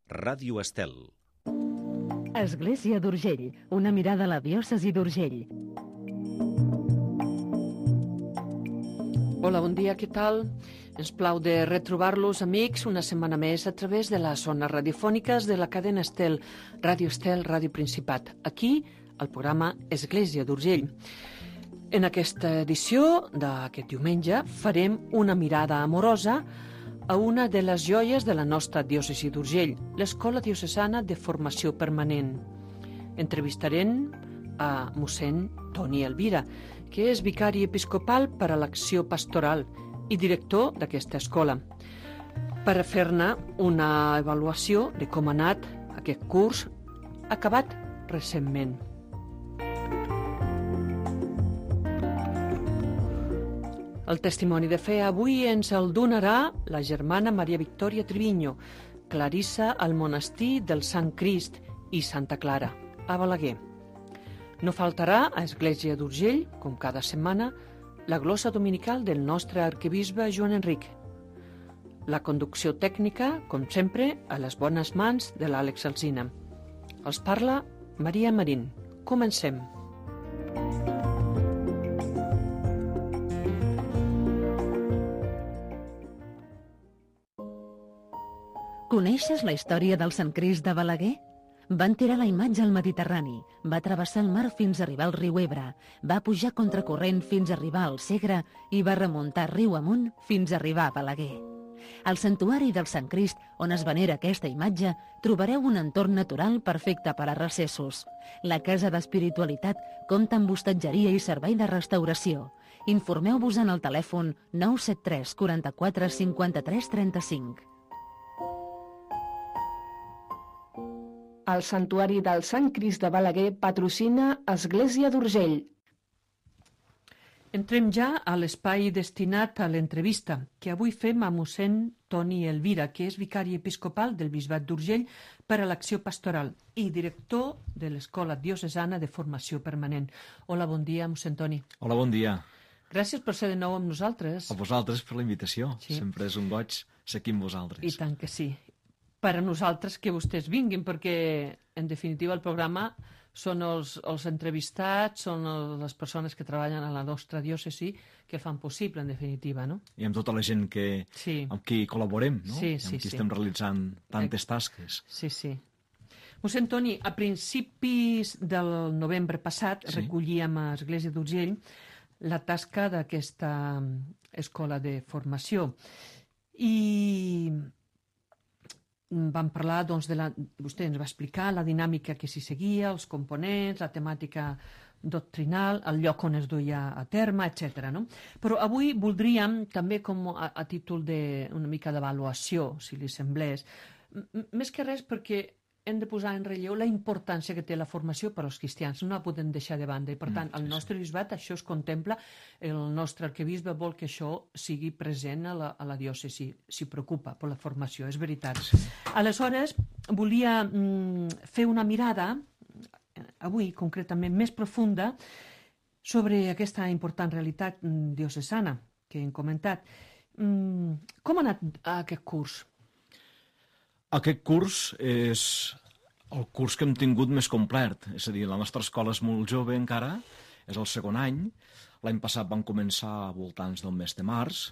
Ràdio Estel. Església d'Urgell, una mirada a la diòcesi d'Urgell. Hola, bon dia, què tal? Ens plau de retrobar-los, amics, una setmana més a través de les zones radiofòniques de la cadena Estel, Ràdio Principat. Aquí, al programa Església d'Urgell. En aquesta edició d'aquest diumenge farem una mirada amorosa a una de les joies de la nostra diòcesi d'Urgell, l'Escola Diocesana de Formació Permanent. Entrevistarem a mossèn Toni Elvira, que és vicari episcopal per a l'acció pastoral i director d'aquesta escola, per a fer-ne una avaluació de com ha anat aquest curs acabat recentment. El testimoni de fe avui ens el donarà la germana Maria Victòria Triviño, clarissa al monestir del Sant Crist i Santa Clara, a Balaguer. No faltarà a Església d'Urgell, com cada setmana, la glossa dominical del nostre arquebisbe Joan Enric. La conducció tècnica, com sempre, a les bones mans de l'Àlex Alsina. Els parla Maria Marín. Comencem. Coneixes la història del Sant Crist de Balaguer? Van tirar la imatge al Mediterrani, va travessar el mar fins a arribar al riu Ebre, va pujar contracorrent fins a arribar al Segre i va remuntar riu amunt fins a arribar a Balaguer. Al santuari del Sant Crist, on es venera aquesta imatge, trobareu un entorn natural perfecte per a recessos. La Casa d'Espiritualitat compta amb hostatgeria i servei de restauració. Informeu-vos en el telèfon 973 44 53 35. El Santuari del Sant Crist de Balaguer patrocina Església d'Urgell. Entrem ja a l'espai destinat a l'entrevista, que avui fem a mossèn Toni Elvira, que és vicari episcopal del Bisbat d'Urgell per a l'acció pastoral i director de l'Escola Diocesana de Formació Permanent. Hola, bon dia, mossèn Toni. Hola, bon dia. Gràcies per ser de nou amb nosaltres. A vosaltres per la invitació. Sí. Sempre és un goig ser aquí amb vosaltres. I tant que sí. Per a nosaltres que vostès vinguin, perquè, en definitiva, el programa són els entrevistats, són les persones que treballen a la nostra diòcesi que fan possible, en definitiva, no? I amb tota la gent amb qui col·laborem, no? Sí, amb qui estem realitzant tantes tasques. Sí. Mossèn Toni, a principis del novembre passat recollíem a Església d'Urgell la tasca d'aquesta escola de formació. I vam parlar, doncs, vostè ens va explicar la dinàmica que s'hi seguia, els components, la temàtica doctrinal, el lloc on es duia a terme, etc. No? Però avui voldríem, també com a títol d'una mica d'avaluació, si li semblés, més que res perquè hem de posar en relleu la importància que té la formació per als cristians. No la podem deixar de banda. I, per tant, al nostre bisbat això es contempla. El nostre arquebisbe vol que això sigui present a la diòcesi. S'hi preocupa per la formació, és veritat. Aleshores, volia fer una mirada, avui concretament més profunda, sobre aquesta important realitat diocesana que hem comentat. Com ha anat aquest curs? Aquest curs és el curs que hem tingut més complet. És a dir, la nostra escola és molt jove encara, és el segon any. L'any passat vam començar a voltants del mes de març.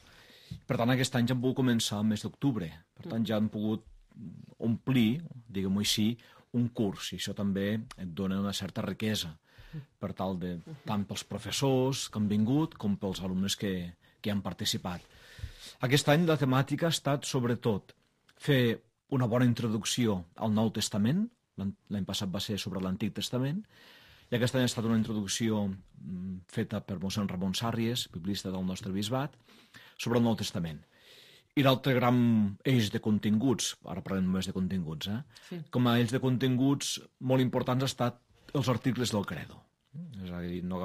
Per tant, aquest any ja hem pogut començar al mes d'octubre. Per tant, ja hem pogut omplir, diguem-ho així, un curs. I això també et dona una certa riquesa, per tal de, tant pels professors que han vingut com pels alumnes que han participat. Aquest any la temàtica ha estat, sobretot, fer una bona introducció al Nou Testament. L'any passat va ser sobre l'Antic Testament, i aquest any ha estat una introducció feta per mossèn Ramon Sàrries, biblista del nostre bisbat, sobre el Nou Testament. I l'altre gran eix de continguts, ara parlem només de continguts, com a eix de continguts molt importants ha estat els articles del Credo. És a dir, no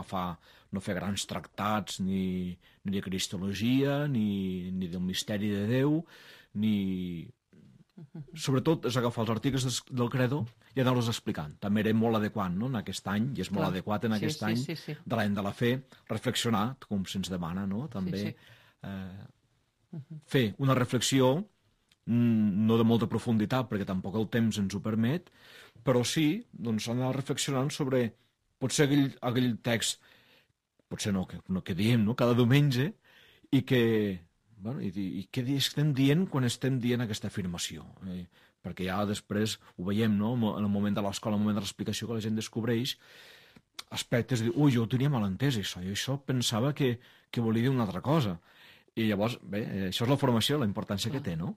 fer grans tractats ni de cristologia, ni del misteri de Déu, ni... Sobretot és agafar els articles del Credo i anar-los explicant. També era molt adequat, no?, en aquest any, i és molt adequat en aquest any de l'any de la fe, reflexionar, com se'ns demana, no?, també fer una reflexió no de molta profunditat, perquè tampoc el temps ens ho permet, però sí, doncs, anar reflexionant sobre potser aquell text, potser no, que diem, no?, cada diumenge, i què estem dient quan estem dient aquesta afirmació. Perquè ja després ho veiem, no?, en el moment de l'escola, en el moment de l'explicació, que la gent descobreix aspectes de dir, ui, jo ho tenia mal entès, això pensava que volia dir una altra cosa. I llavors, bé, això és la formació, la importància que té, no?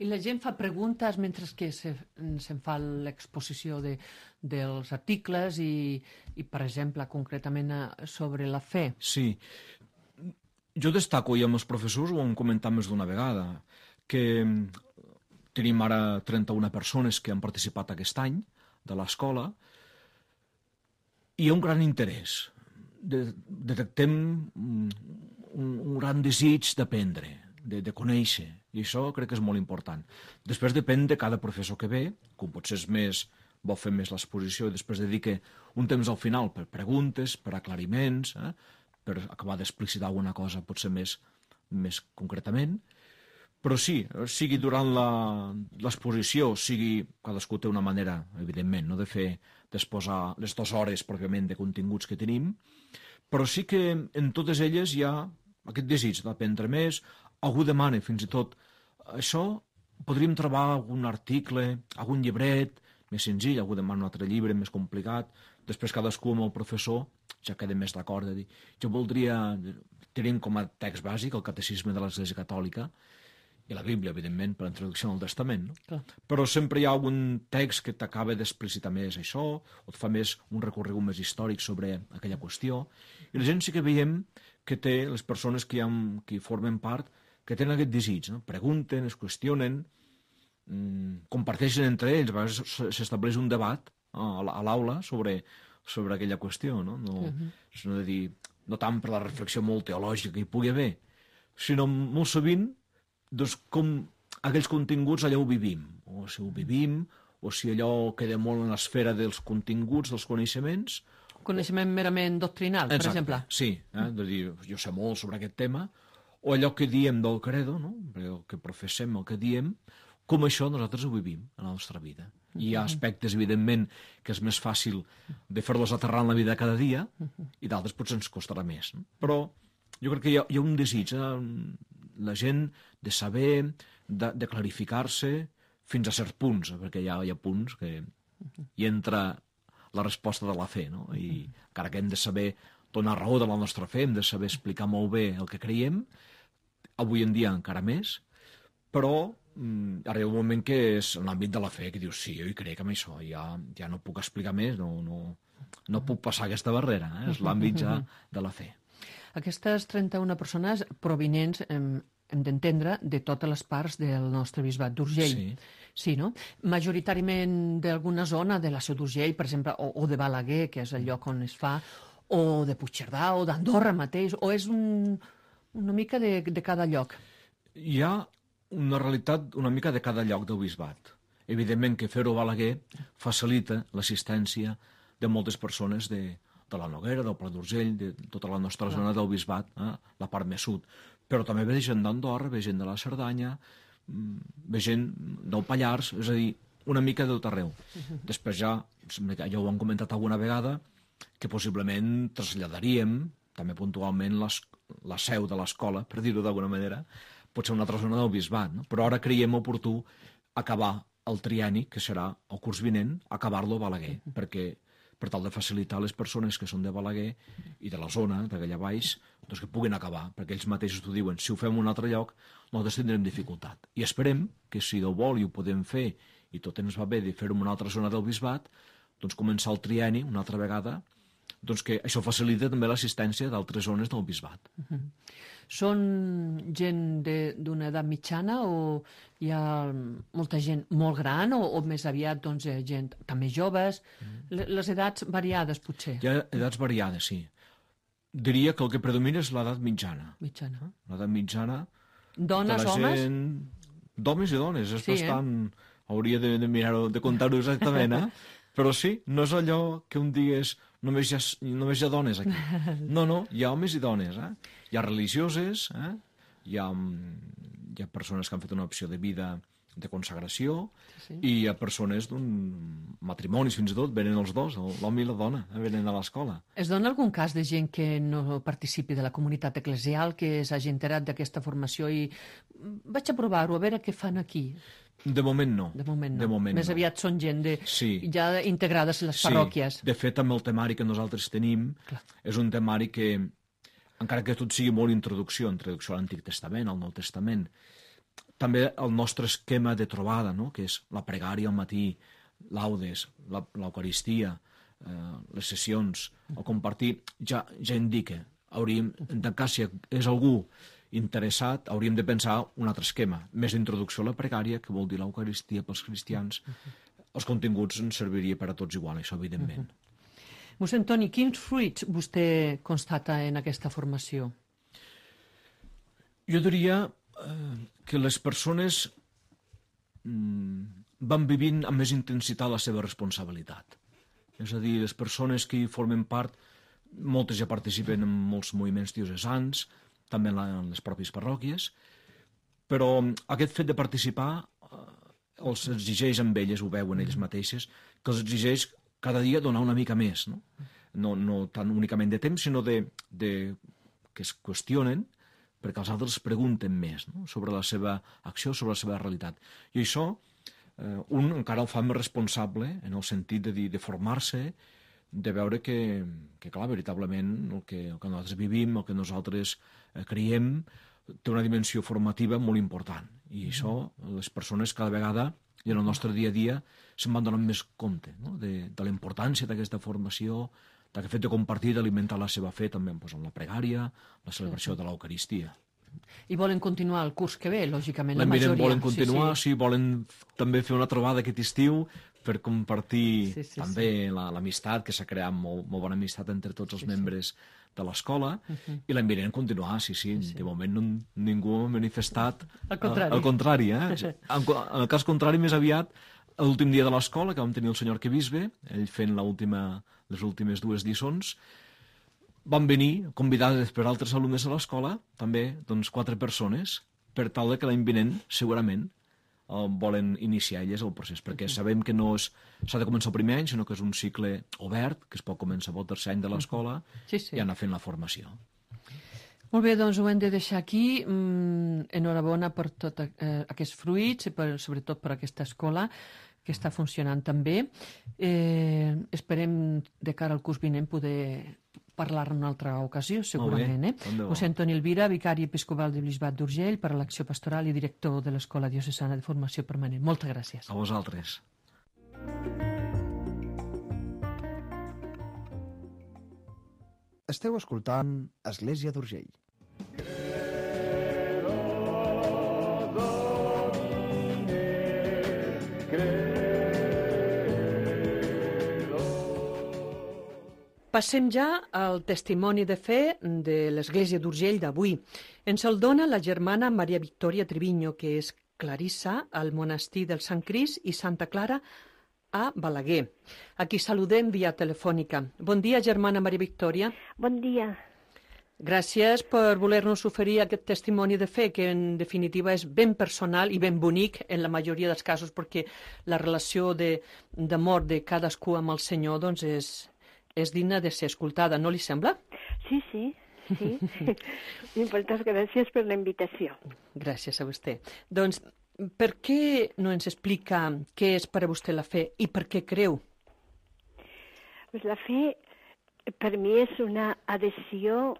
I la gent fa preguntes mentre que se'n fa l'exposició dels articles i, per exemple, concretament sobre la fe. Sí. Jo destaco, i amb els professors ho hem comentat més d'una vegada, que tenim ara 31 persones que han participat aquest any de l'escola, i hi ha un gran interès. Detectem un gran desig d'aprendre, de conèixer, i això crec que és molt important. Després depèn de cada professor que ve, com potser vol fer més l'exposició i després dedica un temps al final per preguntes, per aclariments, per acabar d'explicitar alguna cosa potser més concretament. Però sí, sigui durant l'exposició, sigui cadascú té una manera, evidentment, no, d'exposar les 2 hores pròpiament de continguts que tenim, però sí que en totes elles hi ha aquest desig d'aprendre més. Algú demana, fins i tot, això podríem trobar algun article, algun llibret més senzill, algú demana un altre llibre més complicat, després cadascú amb el professor ja queda més d'acord de dir, jo voldria, tenim com a text bàsic el catecisme de l'Església Catòlica i la Bíblia, evidentment, per la introducció al Testament, no? Clar. Però sempre hi ha algun text que t'acaba d'explicitar més això, o et fa més un recorregut més històric sobre aquella qüestió, i la gent sí que veiem que té, les persones que formen part, que tenen aquest desig, no? Pregunten, es qüestionen, comparteixen entre ells, a vegades s'estableix un debat a l'aula sobre aquella qüestió, no? No tant per la reflexió molt teològica que hi pugui haver, sinó molt sovint doncs, com aquells continguts allà ho vivim, o si ho vivim, o si allò queda molt en l'esfera dels continguts, dels coneixements. Coneixement merament doctrinal, per exemple. Sí, de dir, jo sé molt sobre aquest tema, o allò que diem del credo, no? El que professem, el que diem, com això nosaltres ho vivim en la nostra vida. I hi ha aspectes, evidentment, que és més fàcil de fer-los aterrar en la vida cada dia, i d'altres potser ens costarà més. No? Però jo crec que hi ha un desig, la gent de saber, de clarificar-se fins a certs punts, perquè hi ha punts que hi entra la resposta de la fe, no? I encara que hem de saber donar raó de la nostra fe, hem de saber explicar molt bé el que creiem, avui en dia encara més, però arriba un moment que és en l'àmbit de la fe, que dius, sí, jo hi crec en això, ja no puc explicar més, no puc passar aquesta barrera, és l'àmbit ja de la fe. Aquestes 31 persones provinents, hem d'entendre, de totes les parts del nostre bisbat d'Urgell. Sí, no? Majoritàriament d'alguna zona de la Seu d'Urgell, per exemple, o de Balaguer, que és el lloc on es fa, o de Puigcerdà, o d'Andorra mateix, o és una mica de cada lloc? Hi ha una realitat una mica de cada lloc del bisbat. Evidentment que fer-ho a Balaguer facilita l'assistència de moltes persones de la Noguera, del Pla d'Urgell, de tota la nostra zona del bisbat, la part més sud. Però també ve gent d'Andorra, ve gent de la Cerdanya, ve gent del Pallars, és a dir, una mica de tot arreu. Després ja ho hem comentat alguna vegada, que possiblement traslladaríem, també puntualment, la seu de l'escola, per dir-ho d'alguna manera, potser una altra zona del bisbat, no? Però ara creiem oportú acabar el trienni, que serà el curs vinent, acabar-lo a Balaguer, perquè per tal de facilitar a les persones que són de Balaguer i de la zona, d'allà baix, doncs que puguin acabar, perquè ells mateixos t'ho diuen, si ho fem en un altre lloc, nosaltres tindrem dificultat. I esperem que si Déu vol i ho podem fer, i tot ens va bé de fer-ho en una altra zona del bisbat, doncs començar el trienni una altra vegada, doncs que això facilita també l'assistència d'altres zones del bisbat. Són gent d'una edat mitjana o hi ha molta gent molt gran o més aviat doncs, gent també joves? Les edats variades, potser? Hi ha edats variades, sí. Diria que el que predomina és l'edat mitjana. Mitjana. L'edat mitjana... Dones, homes? D'homes i dones, és bastant... Hauria de mirar-ho, de contar-ho exactament, Però sí, no és allò que un digués només hi ha dones aquí. No, hi ha homes i dones, Hi ha religioses, hi ha persones que han fet una opció de vida de consagració, i a persones d'un matrimonis, fins i tot, venen els dos, l'home i la dona, venen a l'escola. Es dona algun cas de gent que no participi de la comunitat eclesial, que s'hagi enterat d'aquesta formació i vaig a provar-ho, a veure què fan aquí? De moment no. De moment no. Més aviat són gent ja integrades a les parròquies. De fet, amb el temari que nosaltres tenim, és un temari que, encara que tot sigui molt introducció a l'Antic Testament, al Nou Testament, també el nostre esquema de trobada, no?, que és la pregària al matí, laudes, l'Eucaristia, les sessions, el compartir, ja indica. En tant cas, si és algú interessat, hauríem de pensar un altre esquema, més d'introducció a la pregària, que vol dir l'Eucaristia pels cristians. Els continguts ens serviria per a tots igual, això evidentment. Mossèn Toni, quins fruits vostè constata en aquesta formació? Jo diria que les persones van vivint amb més intensitat la seva responsabilitat. És a dir, les persones que hi formen part, moltes ja participen en molts moviments diocesans, també en les pròpies parròquies, però aquest fet de participar els exigeix amb elles, ho veuen elles mateixes, que els exigeix cada dia donar una mica més, no tant únicament de temps, sinó que es qüestionen, perquè els altres pregunten més sobre la seva acció, sobre la seva realitat. I això, un encara el fa més responsable en el sentit de formar-se, de veure que clar, veritablement, el que nosaltres vivim, el que nosaltres creiem, té una dimensió formativa molt important. I això, les persones cada vegada, i en el nostre dia a dia, se'n van donant més compte de la importància d'aquesta formació, d'aquest fet de compartir, d'alimentar la seva fe també amb la pregària, la celebració de l'Eucaristia. I volen continuar el curs que ve, lògicament, la majoria. Volen continuar, sí, volen també fer una trobada aquest estiu per compartir també l'amistat, que s'ha creat molt bona amistat entre tots els membres de l'escola, i l'any vinent continuar, sí. De moment ningú ha manifestat el contrari. En el cas contrari, més aviat, l'últim dia de l'escola, que vam tenir el senyor arquebisbe, ell fent les últimes 2 lliçons, van venir convidades per altres alumnes de l'escola, també 4 persones, per tal que l'any vinent, segurament, volen iniciar elles el procés, perquè sabem que no s'ha de començar el primer any, sinó que és un cicle obert, que es pot començar pel tercer any de l'escola i anar fent la formació. Molt bé, doncs ho hem de deixar aquí. Enhorabona per tots aquests fruits, sobretot per aquesta escola, que està funcionant també. Esperem, de cara al curs vinent, poder parlar en una altra ocasió, segurament. Mossèn Toni Elvira, vicari episcopal del Bisbat d'Urgell per a l'Acció Pastoral i director de l'Escola Diocesana de Formació Permanent. Moltes gràcies. A vosaltres. Esteu escoltant Església d'Urgell. Passem ja al testimoni de fe de l'Església d'Urgell d'avui. Ens el dona la germana Maria Victòria Triviño, que és clarissa al monestir del Sant Crist i Santa Clara a Balaguer. A qui saludem via telefònica. Bon dia, germana Maria Victòria. Bon dia. Gràcies per voler-nos oferir aquest testimoni de fe, que en definitiva és ben personal i ben bonic en la majoria dels casos, perquè la relació d'amor de cadascú amb el Senyor doncs és digna de ser escoltada, no li sembla? Sí. Moltes gràcies per la invitació. Gràcies a vostè. Doncs, per què no ens explica què és per a vostè la fe i per què creu? Pues la fe per mi és una adhesió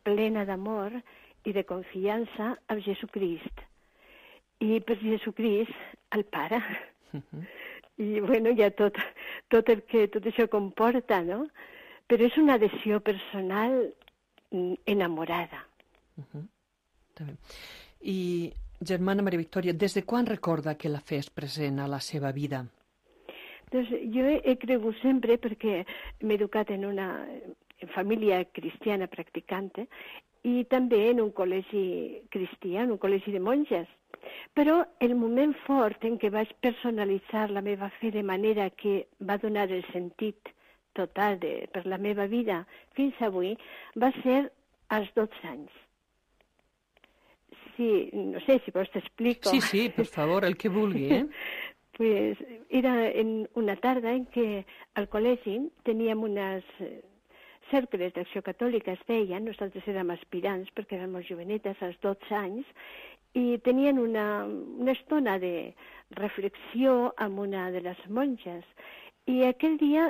plena d'amor i de confiança amb Jesucrist. I per Jesucrist, el Pare. I hi ha tot això comporta, no? Però és una adhesió personal enamorada. I, germana Maria Victòria, des de quan recorda que la fe és present a la seva vida? Doncs jo he cregut sempre, perquè m'he educat en una família cristiana practicante i també en un col·legi cristià, en un col·legi de monges. Però el moment fort en què vaig personalitzar la meva fe de manera que va donar el sentit total per la meva vida fins avui va ser als 12 anys. si, no sé, si vols t'explico. Sí, per favor, el que vulgui, Pues era en una tarda en què al col·legi teníem unes cercles d'acció catòlica, es deien, nosaltres érem aspirants perquè érem molt jovenetes, als 12 anys, i tenien una estona de reflexió amb una de les monges. I aquell dia,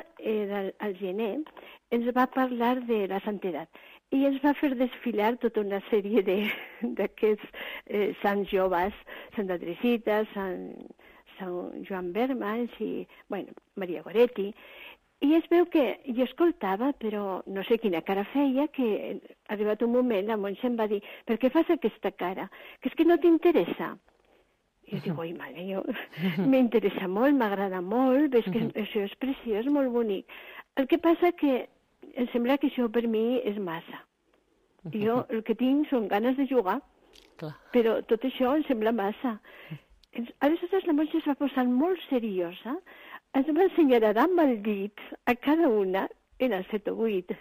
al gener, ens va parlar de la santedat i ens va fer desfilar tota una sèrie d'aquests sants joves, Santa Teresita, Sant Joan Bermans i, bueno, Maria Goretti. I es veu que jo escoltava, però no sé quina cara feia, que arribat un moment la monja em va dir: per què fas aquesta cara? Que és que no t'interessa. I jo dic: oi, mare, m'interessa molt, m'agrada molt, ves que això és preciós, molt bonic. El que passa que em sembla que això per mi és massa. Jo el que tinc són ganes de jugar, però tot això em sembla massa. Aleshores la monja es va posar molt seriosa, ens va ensenyar a dar amb el dit a cada una, eren 7 o 8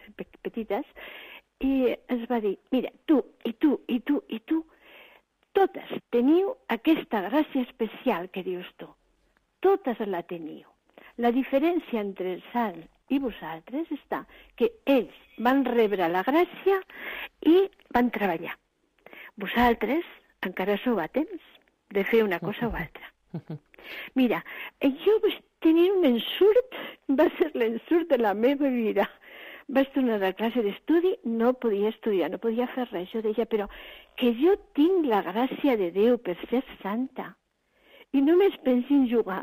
petites, i ens va dir: mira, tu, i tu, i tu, i tu, totes teniu aquesta gràcia especial que dius tu. Totes la teniu. La diferència entre el sant i vosaltres està que ells van rebre la gràcia i van treballar. Vosaltres encara sou a temps de fer una cosa o altra. Mira, jo vaig tenir un ensurt, va ser l'ensurt de la meva vida. Vaig tornar a classe d'estudi, no podia estudiar, no podia fer res. Jo deia, però que jo tinc la gràcia de Déu per ser santa i només pensi en jugar.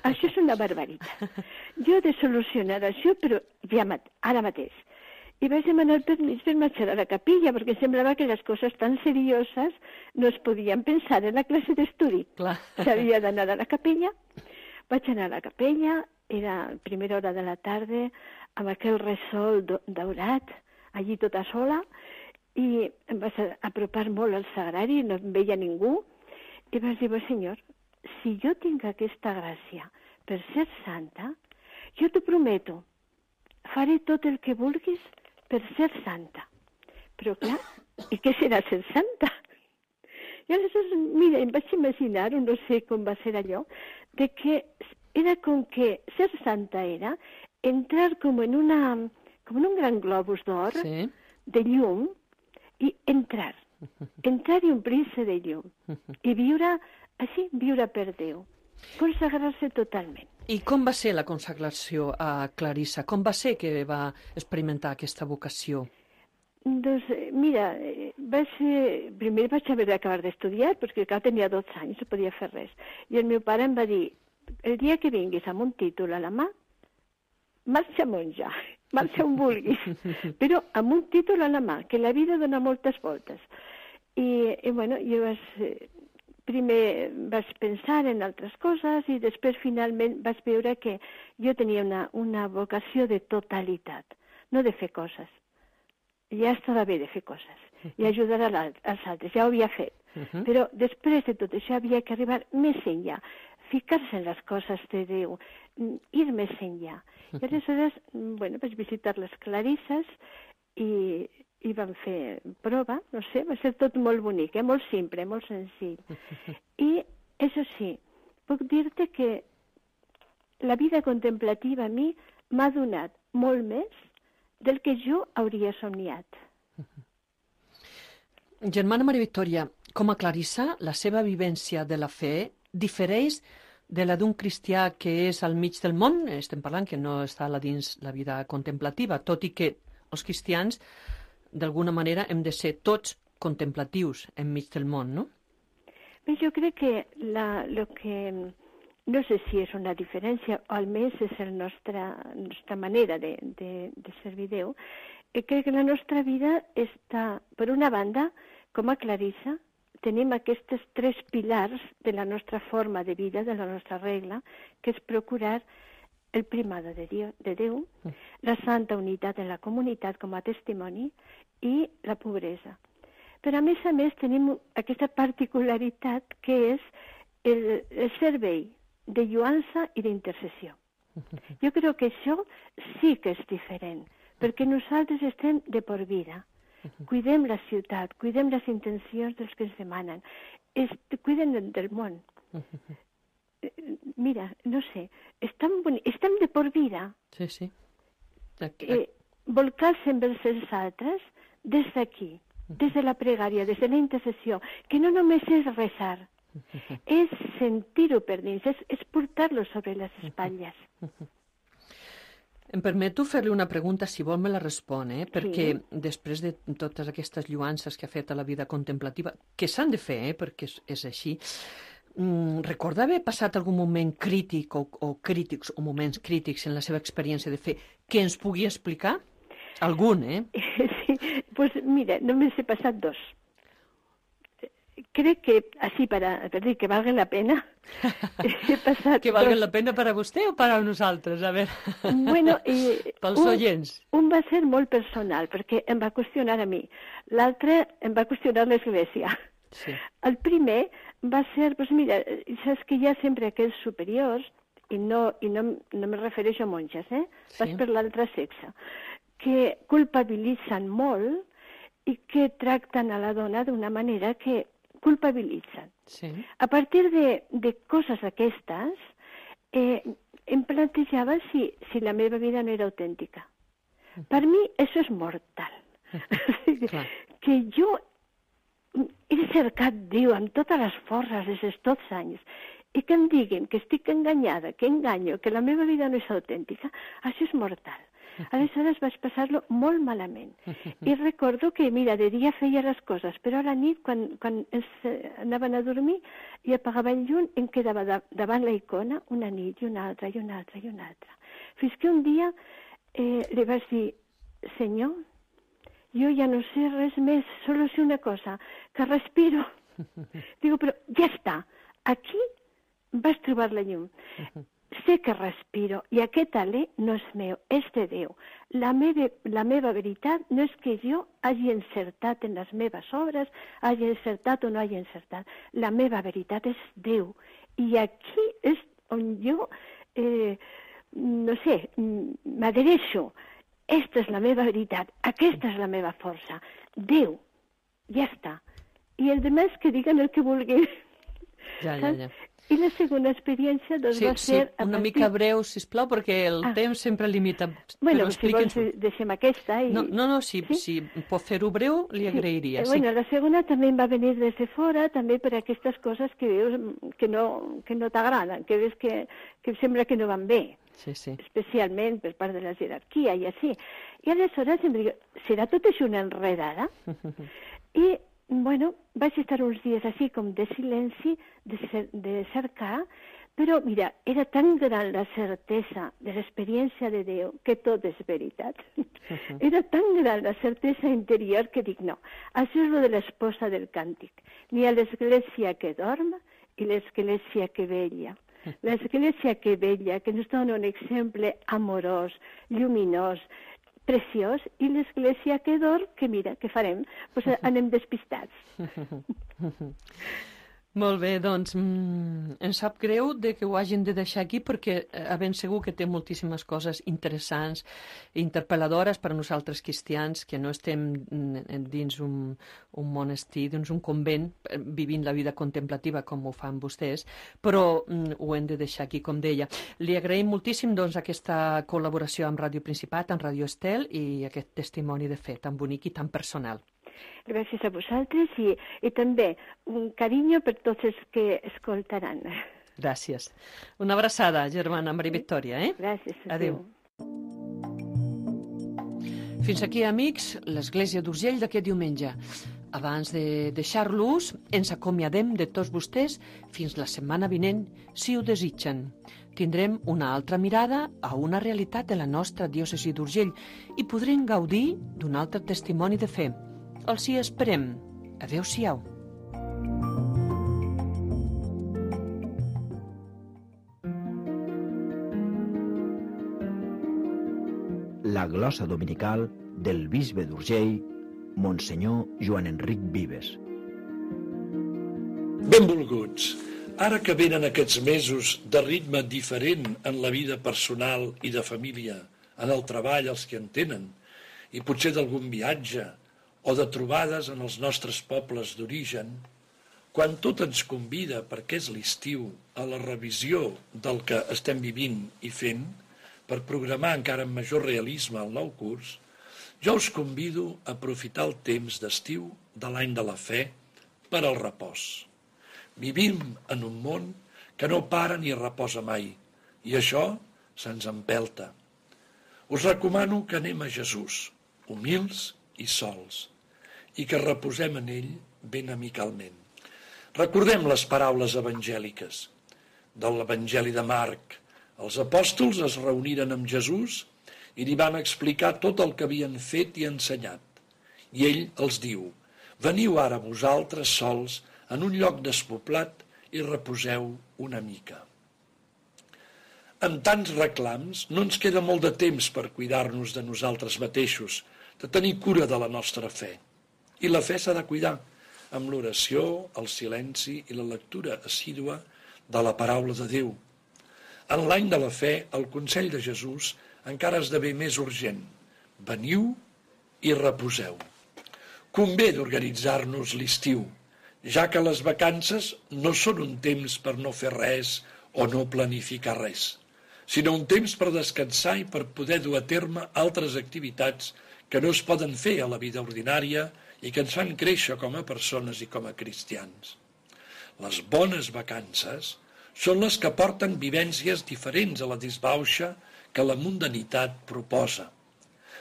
Això és una barbaritat. Jo he de solucionar això, però ja ara mateix. I vaig demanar permís per marxar a la capella, perquè semblava que les coses tan serioses no es podien pensar en la classe d'estudi. S'havia d'anar a la capella. Vaig anar a la capella, era a primera hora de la tarda, amb aquell resol daurat, allí tota sola, i em vaig apropar molt al sagrari, no em veia ningú, i vaig dir: Senyor, si jo tinc aquesta gràcia per ser santa, jo t'ho prometo, faré tot el que vulguis per ser santa. Però clar, i què serà ser santa? I aleshores, mira, em vaig imaginar, no sé com va ser allò, de que era com que ser santa era entrar com en un gran globus d'or, de llum, i entrar i omplir-se de llum, i viure així, viure per Déu, consagrar-se totalment. I com va ser la consagració a Clarissa? Com va ser que va experimentar aquesta vocació? Doncs, mira, primer vaig haver d'acabar d'estudiar, perquè clar, tenia 12 anys, no podia fer res. I el meu pare em va dir: el dia que vinguis amb un títol a la mà, marxa monja, marxa on vulguis, però amb un títol a la mà, que la vida dona moltes voltes. I bueno, jo primer vaig pensar en altres coses i després finalment vaig veure que jo tenia una vocació de totalitat, no de fer coses. Ja estava bé de fer coses i ajudar als altres, ja ho havia fet. Però després de tot això havia que arribar més enllà, ficar-se en les coses de Déu, ir més enllà. I aleshores, bueno, vaig visitar les Clarisses i vam fer prova, no sé, va ser tot molt bonic, molt simple, molt senzill. I, això sí, puc dir-te que la vida contemplativa a mi m'ha donat molt més del que jo hauria somniat. Germana Maria Victòria, com a Clarissa, la seva vivència de la fe difereix de la d'un cristià que és al mig del món? Estem parlant que no està dins la vida contemplativa, tot i que els cristians d'alguna manera hem de ser tots contemplatius enmig del món, no? Bé, jo crec que lo que no sé si és una diferència, o almenys és la nostra manera de servir Déu, crec que la nostra vida està, per una banda, com a Clarissa, tenim aquests 3 pilars de la nostra forma de vida, de la nostra regla, que és procurar el primado de Déu, la santa unitat en la comunitat com a testimoni i la pobresa. Però a més tenim aquesta particularitat que és el servei de lluança i d'intercessió. Jo crec que això sí que és diferent, perquè nosaltres estem de por vida. Cuidem la ciutat, cuidem les intencions dels que ens demanen, cuidem del món. Mira, no sé, és tan bonic, és tan de por vida. Sí. Volcar-se envers els altres des d'aquí, des de la pregària, des de la intercessió, que no només és resar, és sentir-ho per dins, és portar-lo sobre les espatlles. Em permeto fer-li una pregunta, si vol me la respon, perquè després de totes aquestes lluances que ha fet a la vida contemplativa, que s'han de fer, perquè és així, recorda haver passat algun moment crític o crítics o moments crítics en la seva experiència de fe que ens pugui explicar? Algun, Sí, pues mira, només he passat 2. Crec que, així per dir que valga la pena, he passat... Que valga la pena per a vostè o per a nosaltres? A veure, bueno, pels oients. Un va ser molt personal, perquè em va qüestionar a mi. L'altre em va qüestionar l'Església. Sí. El primer va ser, doncs mira, saps que hi ha sempre aquells superiors, i no me refereixo a monges, vas per l'altre sexe, que culpabilitzen molt i que tracten a la dona d'una manera que culpabilitzen. Sí. A partir de coses aquestes, em plantejava si la meva vida no era autèntica. Per mi, això és mortal. Que jo he cercat Déu amb totes les forces des de tots anys i que em diguin que estic enganyada, que enganyo, que la meva vida no és autèntica, això és mortal. Aleshores vaig passar-lo molt malament. I recordo que, mira, de dia feia les coses, però a la nit, quan anaven a dormir i apagava el llum, em quedava davant la icona una nit i una altra, i una altra, i una altra. Fins que un dia li vaig dir, Senyor, jo ja no sé res més, solo sé una cosa, que respiro. Digo, però ja està, aquí vas trobar la llum. Sé que respiro i aquest alè no és meu, és de Déu. La meva veritat no és que jo hagi encertat en les meves obres, hagi encertat o no hagi encertat. La meva veritat és Déu. I aquí és on jo, no sé, m'adhereixo. Esta és la meva veritat, aquesta és la meva força. Déu, ja està. I els altres que diguen el que vulguin. Ja. I la segona experiència doncs, va ser... Sí, una mica breu, sisplau, perquè el temps sempre limita. Bueno, si vols deixem aquesta. I... No, si pot fer-ho breu, li agrairia. Sí. Bueno, la segona també em va venir des de fora, també per aquestes coses que veus que no t'agraden, que veus que sembla que no van bé. Sí. Especialment per part de la jerarquia i així. I aleshores em dic, serà tot això una enredada? I bueno, vaig estar uns dies així com de silenci, de cercar, però mira, era tan gran la certesa de l'experiència de Déu que tot és veritat. Era tan gran la certesa interior que dic, no, això és lo de l'esposa del càntic. Ni a l'església que dorm i l'església que vella. L'església que vella, que ens dona un exemple amorós, lluminós, preciós, i l'església que dorm, que mira, què farem? Pues anem despistats. Molt bé, doncs em sap greu que ho hagin de deixar aquí perquè ben segur que té moltíssimes coses interessants i interpel·ladores per a nosaltres cristians que no estem dins un monestir, dins un convent, vivint la vida contemplativa com ho fan vostès, però ho hem de deixar aquí, com deia. Li agraïm moltíssim doncs, aquesta col·laboració amb Ràdio Principat, amb Ràdio Estel i aquest testimoni de fe tan bonic i tan personal. Gràcies a vosaltres i també un carinyo per tots els que escoltaran. Gràcies. Una abraçada, germana Maria Victòria. Gràcies. Adéu. Fins aquí, amics, l'Església d'Urgell d'aquest diumenge. Abans de deixar-los, ens acomiadem de tots vostès fins la setmana vinent, si ho desitgen. Tindrem una altra mirada a una realitat de la nostra diòcesi d'Urgell i podrem gaudir d'un altre testimoni de fe. Els hi esperem. Adéu-siau. La glosa dominical del bisbe d'Urgell, Monsenyor Joan Enric Vives. Benvolguts. Ara que venen aquests mesos de ritme diferent en la vida personal i de família, en el treball els que en tenen, i potser d'algun viatge o de trobades en els nostres pobles d'origen, quan tot ens convida, perquè és l'estiu, a la revisió del que estem vivint i fent, per programar encara amb major realisme el nou curs, jo us convido a aprofitar el temps d'estiu de l'any de la fe per al repòs. Vivim en un món que no para ni reposa mai, i això se'ns empelta. Us recomano que anem a Jesús, humils i sols, i que reposem en ell ben amicalment. Recordem les paraules evangèliques de l'Evangeli de Marc. Els apòstols es reuniren amb Jesús i li van explicar tot el que havien fet i ensenyat. I ell els diu: veniu ara vosaltres sols en un lloc despoblat i reposeu una mica. Amb tants reclams no ens queda molt de temps per cuidar-nos de nosaltres mateixos, de tenir cura de la nostra fe. I la fe s'ha de cuidar amb l'oració, el silenci i la lectura assídua de la paraula de Déu. En l'any de la fe, el consell de Jesús encara esdevé més urgent. Veniu i reposeu. Convé d'organitzar-nos l'estiu, ja que les vacances no són un temps per no fer res o no planificar res, sinó un temps per descansar i per poder dur a terme altres activitats que no es poden fer a la vida ordinària i que ens fan créixer com a persones i com a cristians. Les bones vacances són les que porten vivències diferents a la disbauxa que la mundanitat proposa.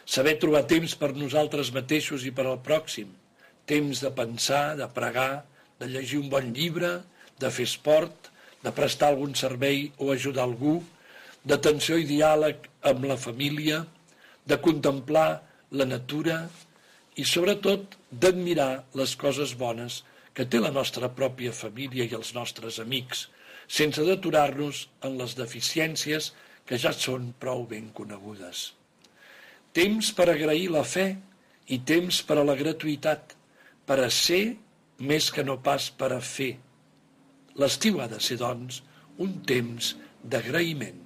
Saber trobar temps per nosaltres mateixos i per al pròxim, temps de pensar, de pregar, de llegir un bon llibre, de fer esport, de prestar algun servei o ajudar algú, d'atenció i diàleg amb la família, de contemplar la natura i, sobretot, d'admirar les coses bones que té la nostra pròpia família i els nostres amics, sense d'aturar-nos en les deficiències que ja són prou ben conegudes. Temps per agrair la fe i temps per a la gratuïtat, per a ser més que no pas per a fer. L'estiu ha de ser, doncs, un temps d'agraïment.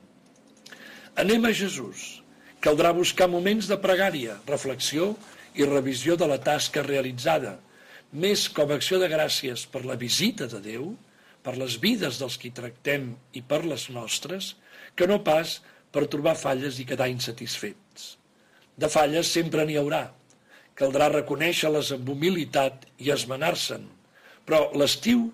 Anem a Jesús. Caldrà buscar moments de pregària, reflexió i revisió de la tasca realitzada, més com a acció de gràcies per la visita de Déu, per les vides dels qui tractem i per les nostres, que no pas per trobar falles i quedar insatisfets. De falles sempre n'hi haurà. Caldrà reconèixer-les amb humilitat i esmenar-se'n, però l'estiu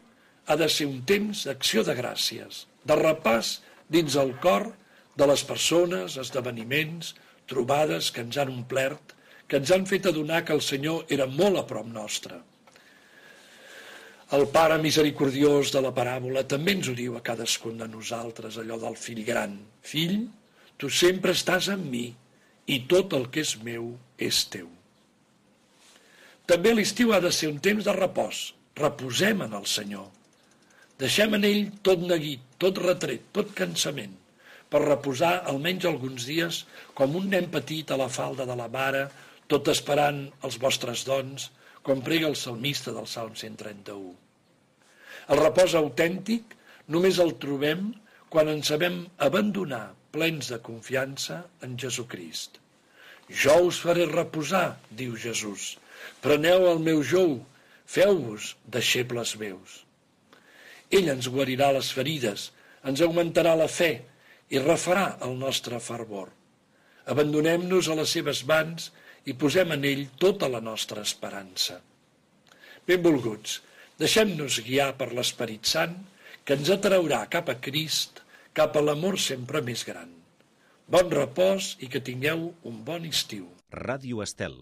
ha de ser un temps d'acció de gràcies, de repàs dins el cor de les persones, esdeveniments, trobades que ens han omplert, que ens han fet adonar que el Senyor era molt a prop nostre. El Pare misericordiós de la paràbola també ens ho diu a cadascun de nosaltres, allò del fill gran. Fill, tu sempre estàs amb mi i tot el que és meu és teu. També l'estiu ha de ser un temps de repòs. Reposem en el Senyor. Deixem en ell tot neguit, tot retret, tot cansament, per reposar almenys alguns dies com un nen petit a la falda de la mare, tot esperant els vostres dons, com prega el salmista del Salm 131. El repòs autèntic només el trobem quan ens sabem abandonar plens de confiança en Jesucrist. Jo us faré reposar, diu Jesús. Preneu el meu jou, feu-vos deixebles meus. Ell ens guarirà les ferides, ens augmentarà la fe i refarà el nostre fervor. Abandonem-nos a les seves mans i posem en ell tota la nostra esperança. Benvolguts, deixem-nos guiar per l'Esperit Sant, que ens atraurà cap a Crist, cap a l'amor sempre més gran. Bon repòs i que tingueu un bon estiu. Ràdio Estel,